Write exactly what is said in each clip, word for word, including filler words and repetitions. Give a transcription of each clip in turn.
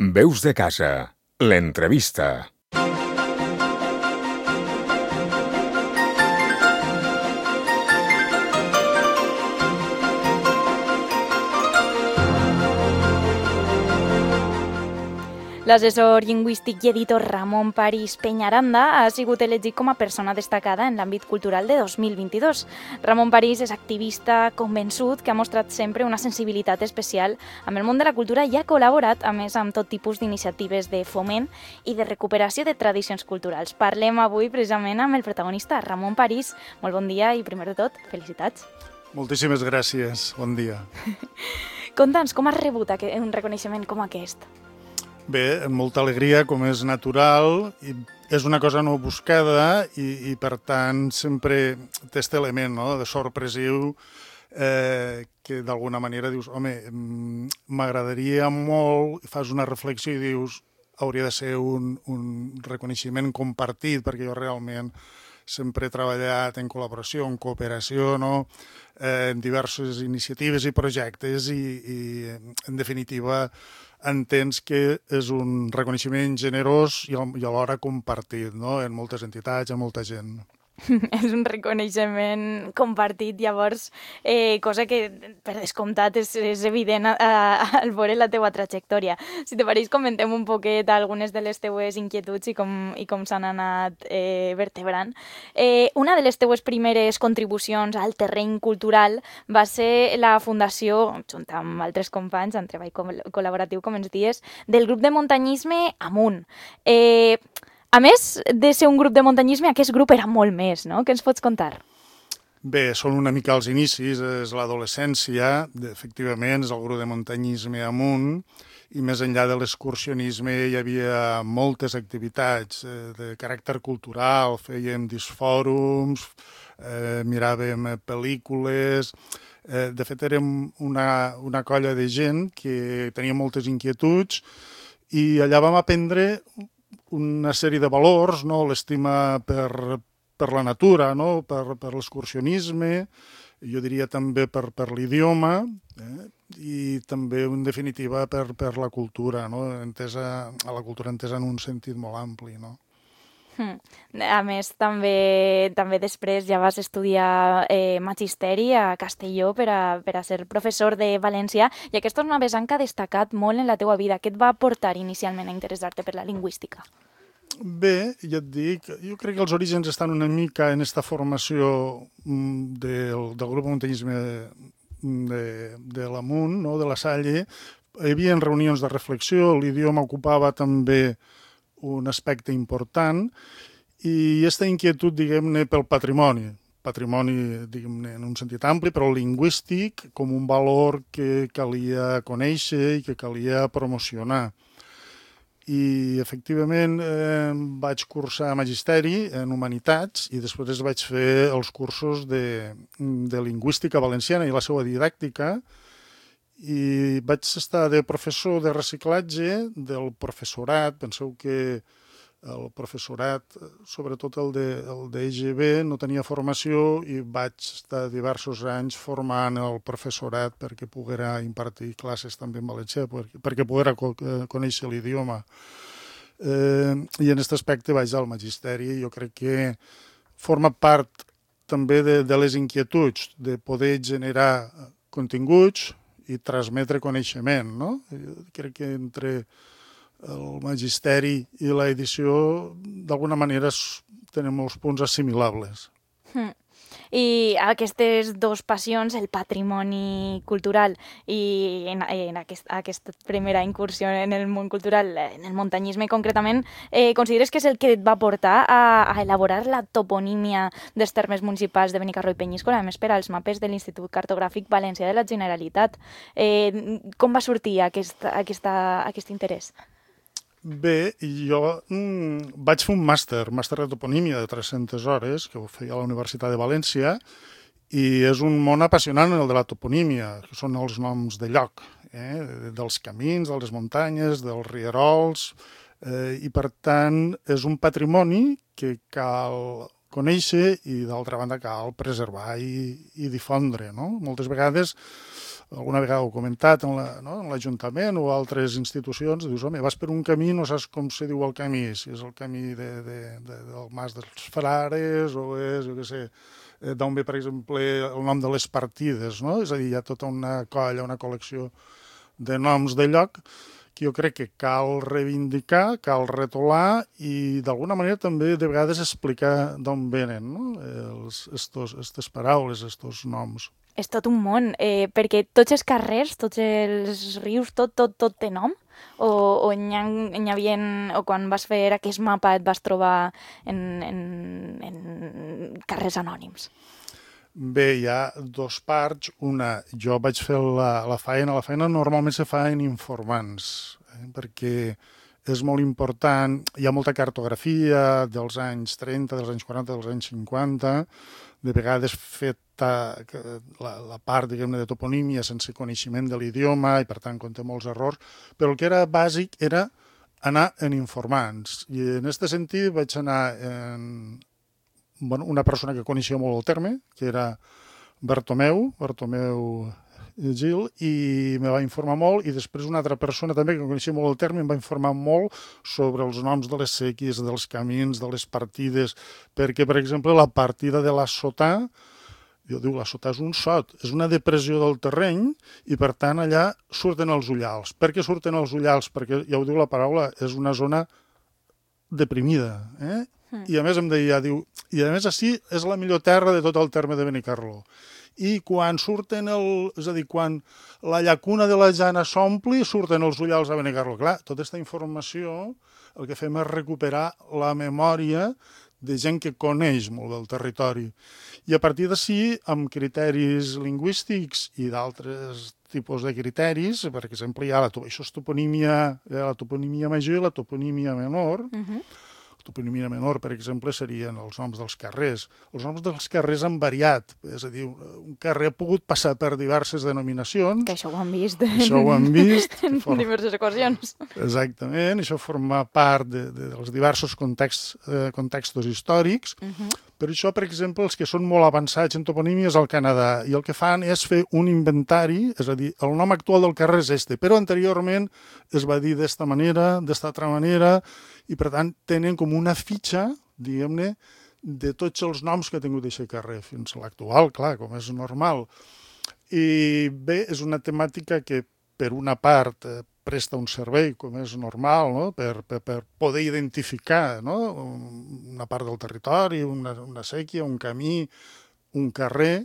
Veus de casa, l'entrevista. L'assessor lingüístic i editor Ramon París Peñaranda ha sigut elegit com a persona destacada en l'àmbit cultural de dos mil vint-i-dos. Ramon París és activista convençut que ha mostrat sempre una sensibilitat especial amb el món de la cultura i ha col·laborat, a més, amb tot tipus d'iniciatives de foment i de recuperació de tradicions culturals. Parlem avui precisament amb el protagonista, Ramon París. Molt bon dia i, primer de tot, felicitats. Moltíssimes gràcies. Bon dia. Conta'ns, com has rebut un reconeixement com aquest? Bé, amb molta alegria, com és natural, i és una cosa no buscada i, i per tant, sempre té aquest element, no?, de sorpresiu, eh, que d'alguna manera dius, home, m'agradaria molt, fas una reflexió i dius, hauria de ser un, un reconeixement compartit, perquè jo realment sempre he treballat en col·laboració, en cooperació, no?, eh, en diverses iniciatives i projectes i, i en definitiva, entens que és un reconeixement generós i alhora compartit, no?, en moltes entitats, en molta gent. És un reconeixement compartit, llavors, eh, cosa que per descomptat és, és evident al veure la teua trajectòria. Si te pareix, comentem un poquet algunes de les teues inquietuds i com, i com s'han anat eh, vertebrant. Eh, una de les teues primeres contribucions al terreny cultural va ser la fundació, junt amb altres companys, en treball col·laboratiu, com ens dies, del grup de muntanyisme Amunt. Eh, A més de ser un grup de muntanyisme, aquest grup era molt més, no? Què ens pots contar? Bé, són una mica els inicis, és l'adolescència, efectivament, és el grup de muntanyisme Amunt, i més enllà de l'excursionisme hi havia moltes activitats eh, de caràcter cultural, fèiem disfòrums, eh, miràvem pel·lícules. Eh, de fet, érem una, una colla de gent que tenia moltes inquietuds i allà vam aprendre una sèrie de valors, no? L'estima per, per la natura, no? per, per l'excursionisme, jo diria també per, per l'idioma, eh? I també, en definitiva, per, per la cultura, no? Entesa, a la cultura entesa en un sentit molt ampli, no? A més, també, també després ja vas estudiar eh, magisteri a Castelló per a, per a ser professor de valencià, i aquesta és una vessant que ha destacat molt en la teua vida. Què et va portar inicialment a interessar-te per la lingüística? Bé, ja et dic, jo crec que els orígens estan una mica en aquesta formació del, del grup de muntanyisme de, de l'Amunt, no? De la Salle. Hi havia reunions de reflexió, l'idioma ocupava també un aspecte important, i aquesta inquietud, diguem-ne, pel patrimoni, patrimoni, diguem-ne, en un sentit ampli, però lingüístic, com un valor que calia conèixer i que calia promocionar. I, efectivament, eh, vaig cursar magisteri en humanitats i després vaig fer els cursos de, de lingüística valenciana i la seva didàctica, i vaig estar de professor de reciclatge del professorat. Penseu que el professorat, sobretot el de, el de E G B, no tenia formació i vaig estar diversos anys formant el professorat perquè poguera impartir classes també en valencià, perquè, perquè poguera conèixer l'idioma. Eh, I en aquest aspecte vaig al magisteri. Jo crec que forma part també de, de les inquietuds de poder generar continguts i transmetre coneixement, no? Jo crec que entre el magisteri i l'edició, d'alguna manera, tenen molts punts assimilables. Mm. I aquestes dues passions, el patrimoni cultural i en, en aquest, aquesta primera incursió en el món cultural, en el muntanyisme concretament, eh, consideres que és el que et va portar a, a elaborar la toponímia dels termes municipals de Benicarló i Penyíscola, a més per als mapes de l'Institut Cartogràfic Valencià de la Generalitat? Eh, com va sortir aquest, aquesta, aquest interès? Bé, jo mm, vaig fer un màster, màster de toponímia de tres-centes hores, que ho feia a la Universitat de València, i és un món apassionant el de la toponímia, que són els noms de lloc, eh? Dels camins, de les muntanyes, dels rierols, eh? I per tant és un patrimoni que cal conèixer i d'altra banda cal preservar i, i difondre, no? Moltes vegades alguna vegada ho he comentat en l'Ajuntament no? o altres institucions, dius, home, vas per un camí, no saps com se diu el camí, si és el camí de, de, de, del Mas dels Frares o és, jo què sé, d'on ve, per exemple, el nom de les partides, no? És a dir, hi ha tota una colla, una col·lecció de noms de lloc que jo crec que cal reivindicar, cal retolar i d'alguna manera també de vegades explicar d'on venen no? Els, estos, estes paraules, estos noms. És tot un món, eh, perquè tots els carrers, tots els rius, tot, tot, tot té nom? O, o n'hi ha, n'hi havia, o quan vas fer aquest mapa et vas trobar en, en, en carrers anònims? Bé, hi ha dos parts. Una, jo vaig fer la, la feina. La feina normalment se fa en informants, eh, perquè és molt important. Hi ha molta cartografia dels anys trenta, dels anys quaranta, dels anys cinquanta, de vegades feta la, la part, diguem-ne, de toponímia sense coneixement de l'idioma i, per tant, conté molts errors. Però el que era bàsic era anar en informants. I en aquest sentit vaig anar en bueno, una persona que coneixia molt el terme, que era Bartomeu, Bartomeu Gil, i me va informar molt, i després una altra persona també que coneixia molt el terme em va informar molt sobre els noms de les sèquies, dels camins, de les partides, perquè, per exemple, la partida de la Sotà, jo diu, la Sotà és un sot, és una depressió del terreny, i per tant allà surten els ullals. Per què surten els ullals? Perquè, ja ho diu la paraula, és una zona deprimida, eh? I a més em deia, diu, i a més així és la millor terra de tot el terme de Benicarló. I quan surten el... És a dir, quan la llacuna de la Jana s'ompli, surten els ullals a Benicarló. Clar, tota aquesta informació el que fem és recuperar la memòria de gent que coneix molt del territori. I a partir d'ací, amb criteris lingüístics i d'altres tipus de criteris, per exemple, hi ha la, això és toponímia, la toponímia major i la toponímia menor. Uh-huh. La toponímia menor, per exemple, serien els noms dels carrers. Els noms dels carrers han variat, és a dir, un carrer ha pogut passar per diverses denominacions. Que això ho han vist. Això ho han vist. En for... diverses ocasions. Exactament, això forma part de, de, dels diversos context, eh, contextos històrics. Uh-huh. Per això, per exemple, els que són molt avançats en toponímia és al Canadà, i el que fan és fer un inventari, és a dir, el nom actual del carrer és este, però anteriorment es va dir d'esta manera, d'esta altra manera, i per tant tenen com una fitxa, diguem-ne, de tots els noms que ha tingut aquest carrer, fins a l'actual, clar, com és normal. I bé, és una temàtica que, per una part, eh, presta un servei, com és normal, no? per, per, per poder identificar no? una part del territori, una, una sèquia, un camí, un carrer,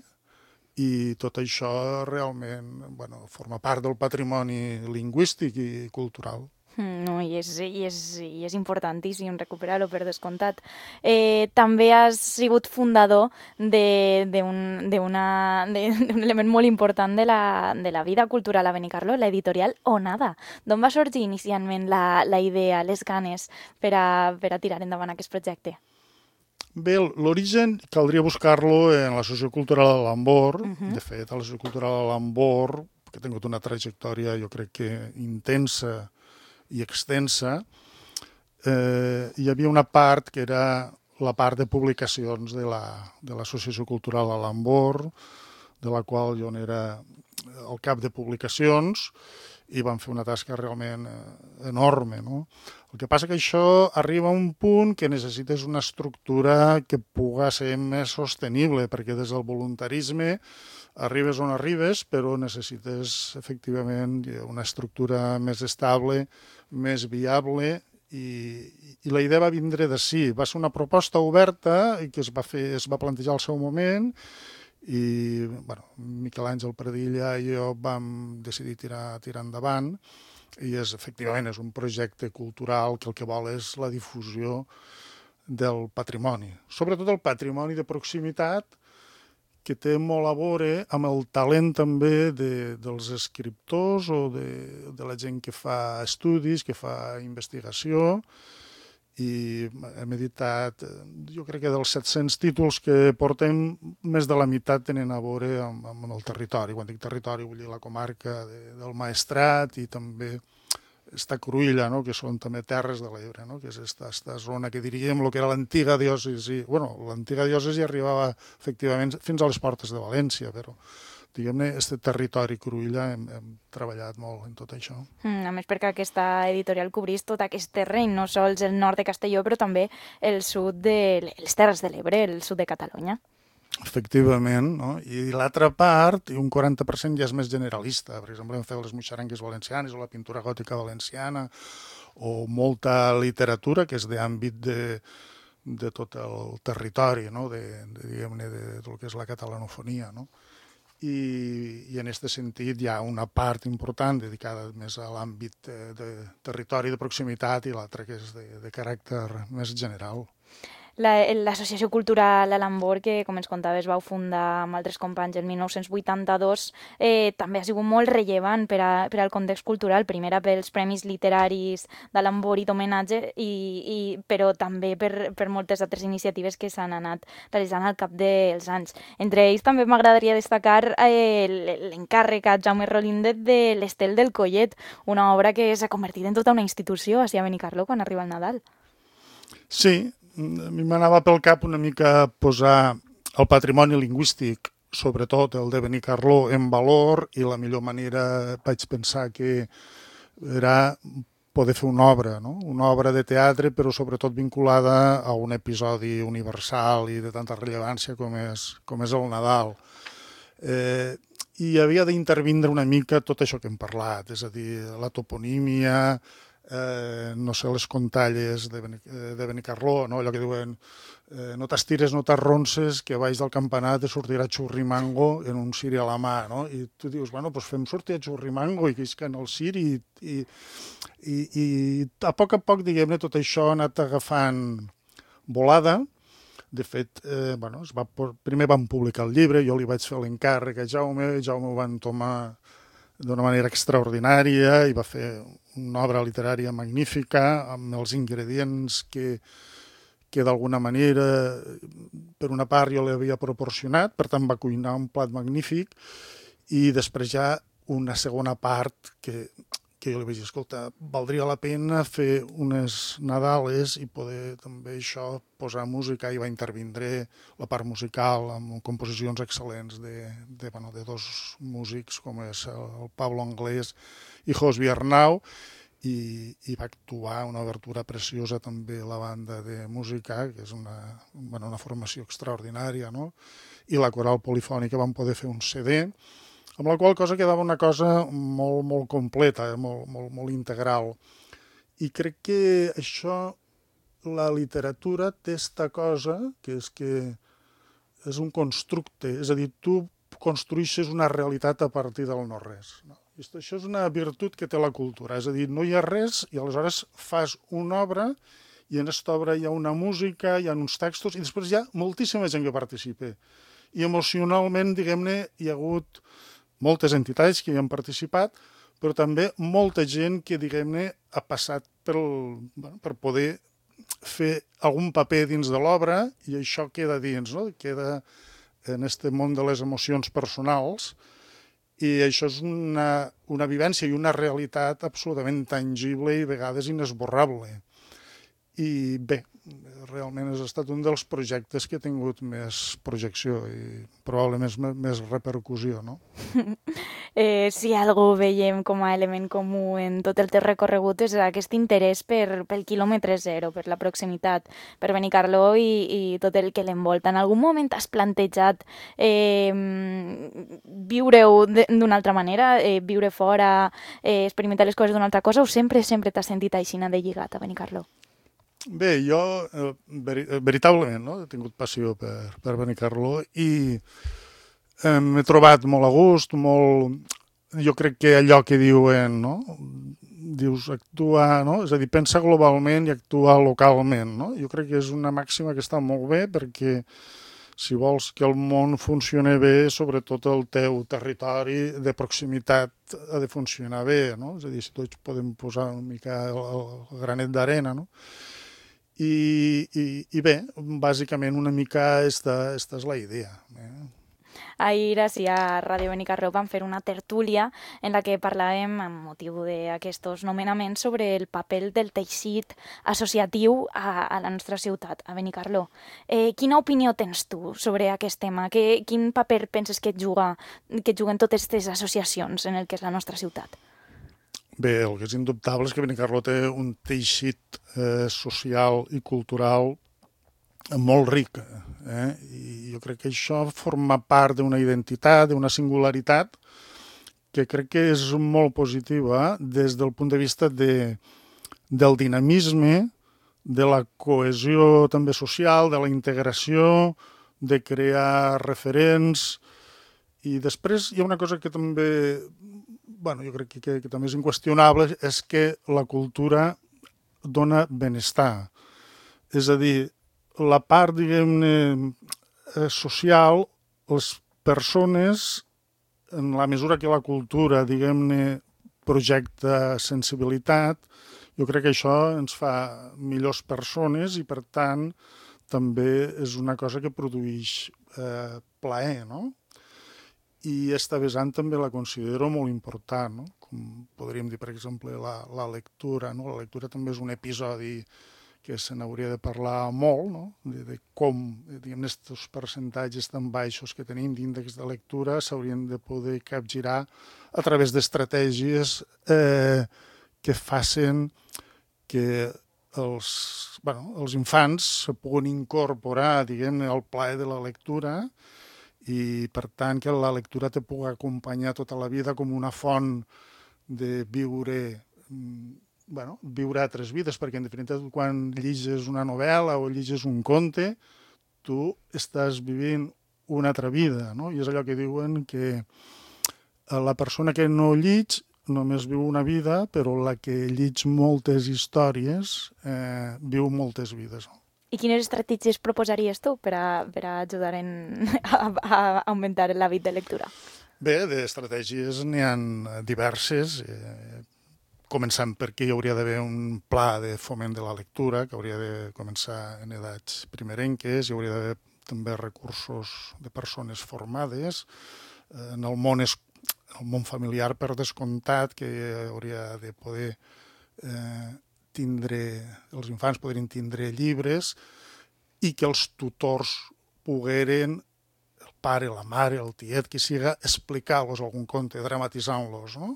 i tot això realment bueno, forma part del patrimoni lingüístic i cultural. No, i és, i és, i és importantíssim recuperar-ho, per descomptat. Eh, també has sigut fundador d'un element molt important de la, de la vida cultural a Benicarló, l'editorial Onada. D'on va sorgir inicialment la, la idea, les ganes per a, per a tirar endavant aquest projecte? Bé, l'origen caldria buscar-lo en la sociocultural de l'Ambor. Uh-huh. De fet, a la sociocultural de l'Ambor, que ha tingut una trajectòria, jo crec que intensa i extensa, eh, hi havia una part que era la part de publicacions de la, de l'Associació Cultural a l'Ambor, de la qual jo n'era el cap de publicacions, i van fer una tasca realment eh, enorme. No? El que passa que això arriba a un punt que necessites una estructura que pugui ser més sostenible, perquè des del voluntarisme arribes on arribes, però necessites efectivament una estructura més estable, més viable, i, i la idea va vindre d'ací. Va ser una proposta oberta i que es va, fer, es va plantejar al seu moment, i bueno, Miquel Àngel Pradilla i jo vam decidir tirar, tirar endavant, i és, efectivament és un projecte cultural que el que vol és la difusió del patrimoni, sobretot el patrimoni de proximitat, que té molt a veure amb el talent també de, dels escriptors o de, de la gent que fa estudis, que fa investigació, i hem editat, jo crec que dels set-cents títols que portem, més de la meitat tenen a veure amb, amb el territori. Quan dic territori vull dir la comarca de, del Maestrat i també esta Cruïlla, no? Que són també terres de l'Ebre, no? Que és esta, esta zona que diríem el que era l'antiga diòcesi. Bueno, l'antiga diòcesi arribava efectivament fins a les portes de València, però diguem-ne, aquest territori Cruïlla hem, hem treballat molt en tot això. Mm, a més perquè aquesta editorial cobrís tot aquest terreny, no sols el nord de Castelló, però també el sud de les Terres de l'Ebre, el sud de Catalunya. Efectivament, no? I l'altra part, i un quaranta per cent ja és més generalista. Per exemple, hem fet les muixarangues valencianes o la pintura gòtica valenciana, o molta literatura que és d'àmbit de, de tot el territori, no? de, de, diguem-ne, de, de del que és la catalanofonia, no? I, i en aquest sentit hi ha una part important dedicada més a l'àmbit de, de territori de proximitat i l'altra que és de, de caràcter més general. L'Associació Cultural Alambor, que com ens contaves vau fundar amb altres companys el mil nou-cents vuitanta-dos, eh, també ha sigut molt rellevant per, a, per al context cultural, primera pels premis literaris d'Alambor i d'homenatge, i, i, però també per, per moltes altres iniciatives que s'han anat realitzant al cap dels anys. Entre ells també m'agradaria destacar eh, l'encàrrec a Jaume Rolíndet de l'Estel del Collet, una obra que s'ha convertit en tota una institució a Benicarló quan arriba el Nadal. Sí, a mi m'anava pel cap una mica posar el patrimoni lingüístic, sobretot el de Benicarló, en valor, i la millor manera vaig pensar que era poder fer una obra, no? Una obra de teatre, però sobretot vinculada a un episodi universal i de tanta rellevància com és, com és el Nadal. Eh, I havia d'intervindre una mica tot això que hem parlat, és a dir, la toponímia, Eh, no sé, les contalles de, Beni, de Benicarló, no? Allò que diuen eh, no t'estires, no t'arronses, que baix del campanar te sortirà xurrimango en un ciri a la mà, no? I tu dius, bueno, doncs fem sortir a xurrimango i que isquen el ciri i, i, i, i a poc a poc, diguem-ne, tot això ha anat agafant volada. De fet, eh, bueno, es va, primer vam publicar el llibre, jo li vaig fer l'encàrrec a Jaume, Jaume ho va entomar d'una manera extraordinària i va fer una obra literària magnífica amb els ingredients que, que d'alguna manera, per una part, jo li havia proporcionat, per tant va cuinar un plat magnífic, i després ja una segona part que, que jo li vaig dir, escolta, valdria la pena fer unes Nadales i poder també això posar música, i va intervindre la part musical amb composicions excel·lents de, de, bueno, de dos músics com és el Pablo Anglès i Josbi Arnau, i, i va actuar una obertura preciosa també la banda de música, que és una, bueno, una formació extraordinària, no? I la coral polifònica van poder fer un C D, amb la qual cosa quedava una cosa molt, molt completa, molt, molt, molt integral. I crec que això, la literatura té esta cosa, que és que és un constructe, és a dir, tu construïxes una realitat a partir del no-res, no? I això és una virtut que té la cultura, és a dir, no hi ha res i aleshores fas una obra i en aquesta obra hi ha una música, hi ha uns textos i després hi ha moltíssima gent que participa. I emocionalment, diguem-ne, hi ha hagut moltes entitats que hi han participat, però també molta gent que, diguem-ne, ha passat pel, bueno, per poder fer algun paper dins de l'obra i això queda dins, no? Queda en aquest món de les emocions personals. I això és una, una vivència i una realitat absolutament tangible i a vegades inesborrable. I bé, realment ha estat un dels projectes que ha tingut més projecció i probablement més, més repercussió, no? Eh, si algú veiem com a element comú en tot el teu recorregut és aquest interès per, pel quilòmetre zero, per la proximitat, per Benicarló i, i tot el que l'envolta. En algun moment has plantejat eh, viure-ho d'una altra manera, eh, viure fora, eh, experimentar les coses d'una altra cosa, o sempre, sempre t'has sentit aixina de lligat a Benicarló? Bé, jo eh, veri, veritablement no? He tingut passió per, per Benicarló i eh, m'he trobat molt a gust, molt... Jo crec que allò que diuen, no? Dius actuar, no? És a dir, pensa globalment i actua localment, no? Jo crec que és una màxima que està molt bé perquè si vols que el món funcioni bé, sobretot el teu territori de proximitat ha de funcionar bé, no? És a dir, si tots podem posar una mica el, el granet d'arena, no? I, i, i bé, bàsicament una mica esta, esta és la idea. Eh? ahir així a Ràdio Benicarló vam fer una tertúlia en la que parlàvem, amb motiu d'aquests nomenaments, sobre el paper del teixit associatiu a, a la nostra ciutat, a Benicarló. Eh, quina opinió tens tu sobre aquest tema? Que, quin paper penses que juga, que juguen totes aquestes associacions en el que és la nostra ciutat? Bé, el que és indubtable és que Benicarló té un teixit eh, social i cultural molt ric, eh? I jo crec que això forma part d'una identitat, d'una singularitat que crec que és molt positiva des del punt de vista de, del dinamisme, de la cohesió també social, de la integració, de crear referents. I després hi ha una cosa que també, bueno, jo crec que, que, que també és inqüestionable, és que la cultura dona benestar. És a dir, la part, diguem-ne, social, les persones, en la mesura que la cultura, diguem-ne, projecta sensibilitat, jo crec que això ens fa millors persones i, per tant, també és una cosa que produeix eh, plaer, no? I esta vessant també la considero molt important, no? Com podríem dir, per exemple, la, la lectura, no? La lectura també és un episodi que se n'hauria de parlar molt, no? de, de com, diguem, aquests percentatges tan baixos que tenim d'índex de lectura s'haurien de poder capgirar a través d'estratègies eh, que facin que els, bueno, els infants se puguin incorporar, diguem, al plaer de la lectura i, per tant, que la lectura te pugui acompanyar tota la vida com una font de viure bueno, viure altres vides, perquè en definitiva quan llegis una novel·la o llegis un conte, tu estàs vivint una altra vida, no? I és allò que diuen que la persona que no llig només viu una vida, però la que llig moltes històries eh, viu moltes vides. I quines estratègies proposaries tu per a, per a ajudar en, a, a augmentar l'hàbit de lectura? Bé, d'estratègies n'hi ha diverses, eh, començant perquè hi hauria d'haver un pla de foment de la lectura, que hauria de començar en edats primerenques, hi hauria d'haver també recursos de persones formades, en el món, es, el món familiar per descomptat, que hauria de poder eh, tindre, els infants podrien tindre llibres i que els tutors pogueren, el pare, la mare, el tiet, que siga, explicar-los algun conte, dramatitzant-los, no?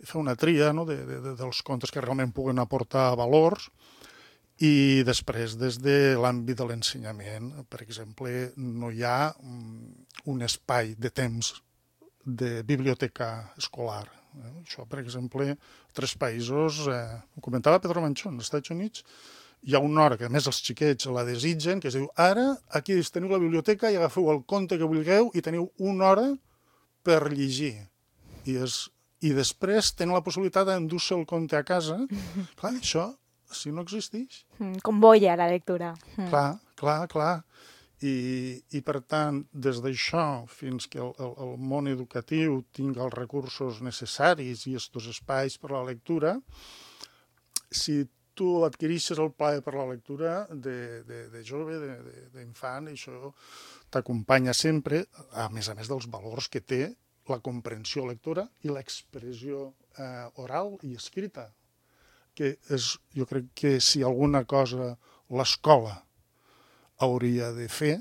Fer una tria, no? de, de, dels contes que realment puguen aportar valors i després des de l'àmbit de l'ensenyament, per exemple, no hi ha un espai de temps de biblioteca escolar. Eh? Això, per exemple, a tres països, eh, ho comentava Pedro Manchón, als Estats Units, hi ha una hora que a més els xiquets la desitgen, que es diu, ara aquí teniu la biblioteca i agafeu el conte que vulgueu i teniu una hora per llegir. I és i després tenen la possibilitat d'endur-se el conte a casa. Clar, això, si no existeix... Com boia la lectura. Clar, clar, clar. I, i per tant, des d'això fins que el, el, el món educatiu tingui els recursos necessaris i aquests espais per a la lectura, si tu adquireixes el plaer per la lectura de, de, de jove, d'infant, això t'acompanya sempre, a més a més dels valors que té la comprensió lectora i l'expressió eh, oral i escrita, que és, jo crec que si alguna cosa l'escola hauria de fer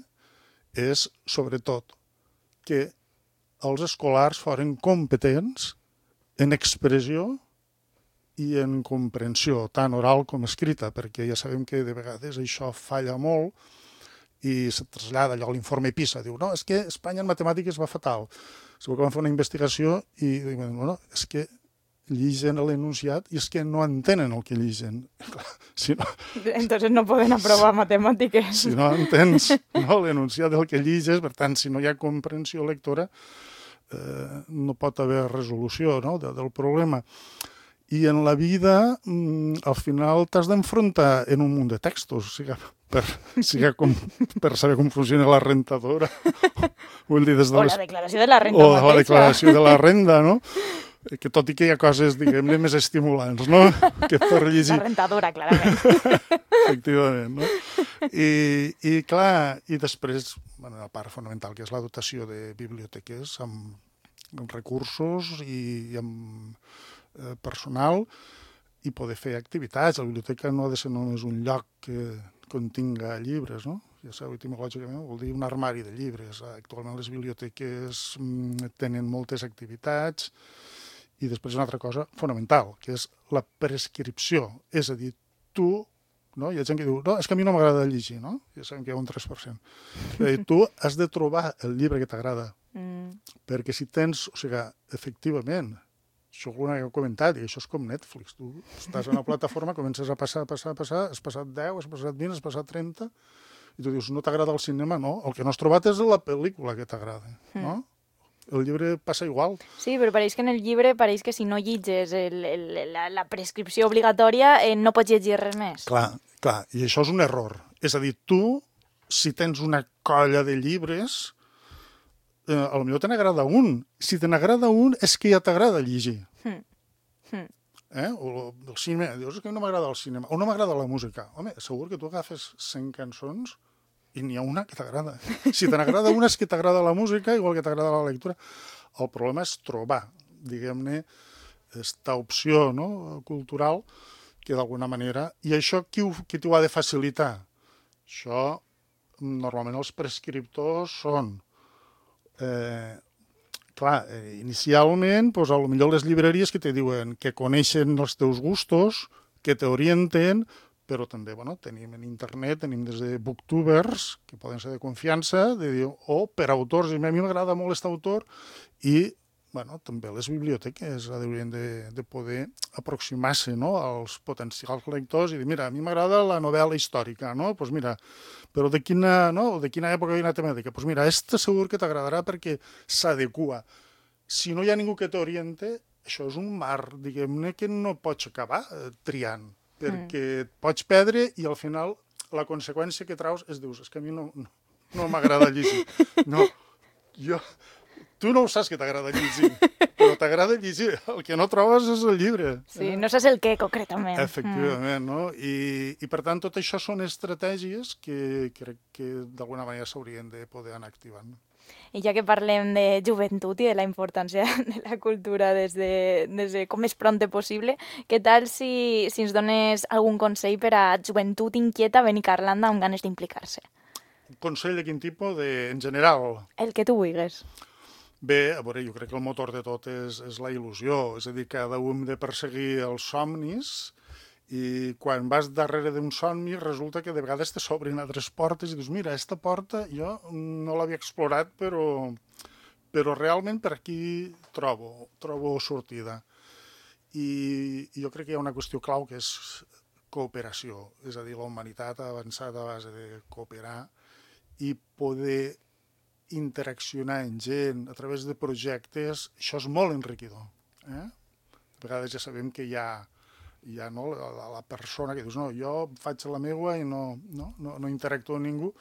és, sobretot, que els escolars foren competents en expressió i en comprensió, tant oral com escrita, perquè ja sabem que de vegades això falla molt i se trasllada allò a l'informe PISA, diu, no, és que Espanya en matemàtiques va fatal. Segur que van fer una investigació i diuen, bueno, és que lligen l'enunciat i és que no entenen el que lligen. Si no, Entonces no poden aprovar matemàtiques. Si no entens no, l'enunciat del que lliges, per tant, si no hi ha comprensió lectora, eh, no pot haver resolució, no, de, del problema. I en la vida, al final, t'has d'enfrontar en un munt de textos, siga per, siga com, per saber com funciona la rentadora. Vull dir, des de o les... la declaració de la renda o mateixa. la declaració de la renda, no? Que tot i que hi ha coses, diguem-ne, més estimulants, no? Que per llegir... La rentadora, clarament. Efectivament, no? I, i clar, i després, bueno, la part fonamental, que és la dotació de biblioteques amb, amb recursos i, i amb eh, personal, i poder fer activitats. La biblioteca no ha de ser només un lloc que continga llibres, no? Ja sabeu, etimològicament vol dir un armari de llibres. Actualment les biblioteques mm, tenen moltes activitats i després una altra cosa fonamental, que és la prescripció. És a dir, tu, no? Hi ha gent que diu, no, és que a mi no m'agrada llegir, no? Ja sabem que hi ha un tres per cent. És a dir, tu has de trobar el llibre que t'agrada, mm. perquè si tens, o sigui, efectivament, això alguna que he comentat, i això és com Netflix. Tu estàs en una plataforma, comences a passar, a passar, a passar, has passat deu, has passat vint, has passat trenta, i tu dius, no t'agrada el cinema? No, el que no has trobat és la pel·lícula que t'agrada, no? El llibre passa igual. Sí, però pareix que en el llibre, pareix que si no llitges el, el, la, la prescripció obligatòria, eh, no pots llegir res més. Clar, clar, i això és un error. És a dir, tu, si tens una colla de llibres, eh, a lo millor te n'agrada un. Si te n'agrada un, és que ja t'agrada llegir. Hmm. Hmm. Eh? O el cinema, dius que no m'agrada el cinema, o no m'agrada la música. Home, segur que tu agafes cent cançons i n'hi ha una que t'agrada. Si te n'agrada una és que t'agrada la música, igual que t'agrada la lectura. El problema és trobar, diguem-ne, esta opció, no?, cultural, que d'alguna manera... I això qui, ho, qui t'ho ha de facilitar? Això, normalment els prescriptors són... Eh, clar, eh, inicialment, doncs, a lo millor les llibreries que te diuen que coneixen els teus gustos, que t'orienten, però també, bueno, tenim en internet, tenim des de booktubers, que poden ser de confiança, de dir, o per autors, i a mi m'agrada molt aquest autor, i, bueno, també les biblioteques haurien de, de poder aproximar-se, no?, als potencials lectors i dir, mira, a mi m'agrada la novel·la històrica, no?, doncs pues mira, però de quina, no?, de quina època i quina temàtica? Doncs pues mira, esta segur que t'agradarà perquè s'adequa. Si no hi ha ningú que t'oriente, això és un mar, diguem-ne, que no pots acabar eh, triant, perquè et pots perdre i al final la conseqüència que traus és, dius, és que a mi no, no, no m'agrada llegir. No, jo... Tu no ho saps que t'agrada llegir, però t'agrada llegir. El que no trobes és el llibre. Sí, no saps el què, concretament. Efectivament, no? I, i per tant, tot això són estratègies que crec que d'alguna manera s'haurien de poder anar activant. I ja que parlem de joventut i de la importància de la cultura des de, des de com més prompte possible, què tal si, si ens dones algun consell per a joventut inquieta venir a Irlanda amb ganes d'implicar-se? Un consell de quin tipus? De, en general? El que tu vulguis. Bé, a veure, jo crec que el motor de tot és, és la il·lusió, és a dir, cada un hem de perseguir els somnis i quan vas darrere d'un somni resulta que de vegades te s'obrin altres portes i dius, mira, aquesta porta jo no l'havia explorat, però, però realment per aquí trobo, trobo sortida. I, I jo crec que hi ha una qüestió clau que és cooperació, és a dir, la humanitat ha avançat a base de cooperar i poder interaccionar amb gent a través de projectes, això és molt enriquidor. Eh? A vegades ja sabem que hi ha, hi ha no, la, la persona que dius, no, jo faig la meua i no, no, no, no interactuo amb ningú,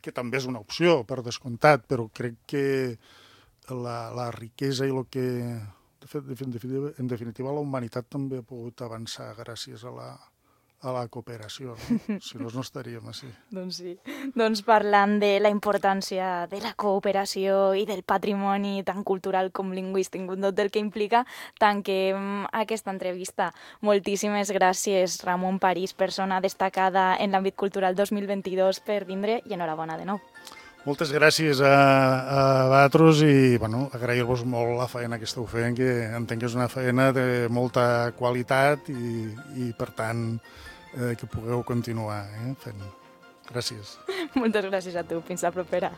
que també és una opció, per descomptat, però crec que la, la riquesa i el que... De fet, en definitiva, en definitiva, la humanitat també ha pogut avançar gràcies a la, a la cooperació, no? Si no, no estaríem així. Doncs sí. Doncs parlant de la importància de la cooperació i del patrimoni tant cultural com lingüístic, tot el que implica, tanquem aquesta entrevista. Moltíssimes gràcies, Ramon París, persona destacada en l'àmbit cultural dos mil vint-i-dos, per vindre i enhorabona de nou. Moltes gràcies a, a vosaltres i bueno, agrair-vos molt la feina que esteu fent, que entenc que és una feina de molta qualitat i, i per tant, eh, que pugueu continuar eh, fent. Gràcies. Moltes gràcies a tu. Fins la propera.